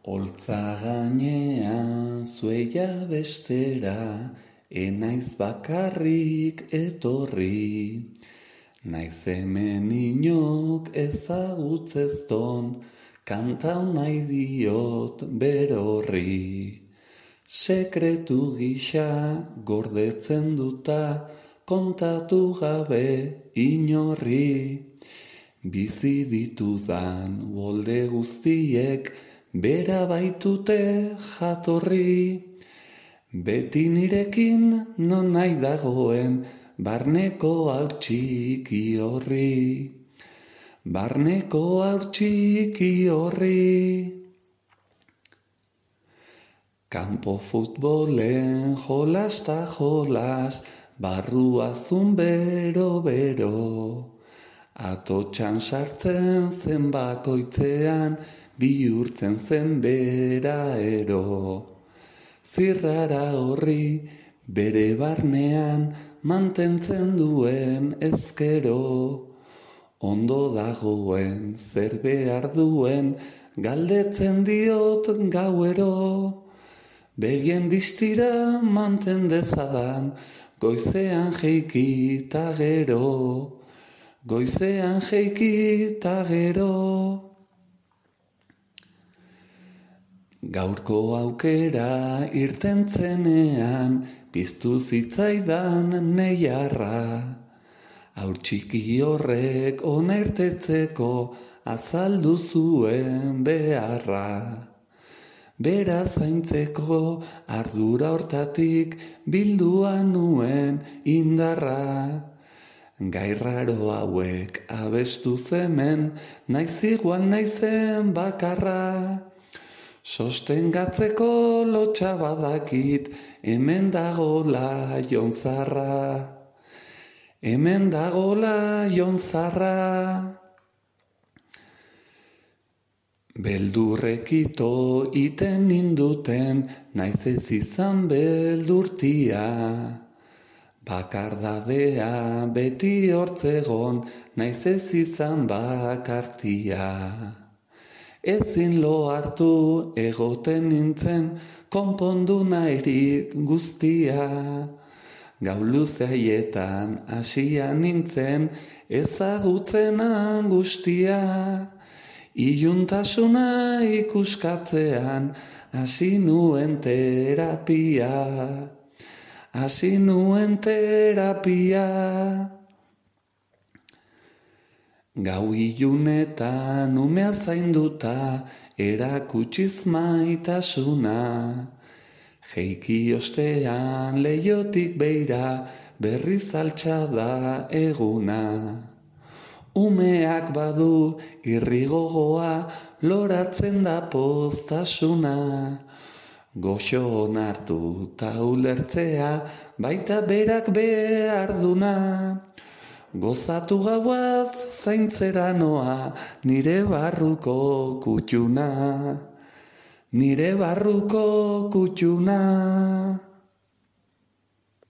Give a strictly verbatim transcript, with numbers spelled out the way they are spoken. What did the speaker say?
Holtza gainean zueia bestera, enaiz bakarrik etorri. Naiz hemen inok ezagutzezton, kantau nahi diot berorri. Sekretu gisa gordetzen duta, kontatu gabe inorri. Bizi ditudan uholde guztiek, bera baitute jatorri. Beti nirekin non nahi dagoen, barneko haur txiki horri. Barneko haur txiki horri. Kanpo futbolen jolas ta jolas, barrua zun bero-bero. Atotxan sartzen zen bakoitzean, bihurtzen zen bera ero. Zirrara horri bere barnean mantentzen duen ezkero. Ondo dagoen zer behar duen galdetzen diot gauero. Begien distira manten dezadan goizean jeiki ta gero. Goizean jeiki ta gero. Gaurko aukera irten zenean, piztu zitzaidan neiarra. Haur txiki horrek ona irtetzeko azaldu zuen beharra. Bera zaintzeko ardura hortatik bildua nuen indarra. Gairraro hauek abestu zemen, naiz igual naizen bakarra. Sostengatzeko lotxa badakit, hemen dagola jonzarra. Hemen dagola jonzarra. Beldurrekito iten ninduten, naiz ez izan beldurtia. Bakardadea beti hortzegon, naiz ez izan bakartia. Ezin lo hartu egoten nintzen, konpondu nahirik guztia. Gau luze haietan hasia nintzen, ezagutzen angustia. Iluntasuna ikuskatzean, hasi nuen terapia. Hasi nuen terapia. Gau ilunetan umea zainduta, erakutsiz maitasuna. Jeiki ostean leiotik beira, berriz altxada eguna. Umeak badu irrigogoa, loratzen da poztasuna. Goxo onartu ta ulertzea, baita berak behar duna. Gozatu gauaz zaintzera noa, nire barruko kutxuna. Nire barruko kutxuna.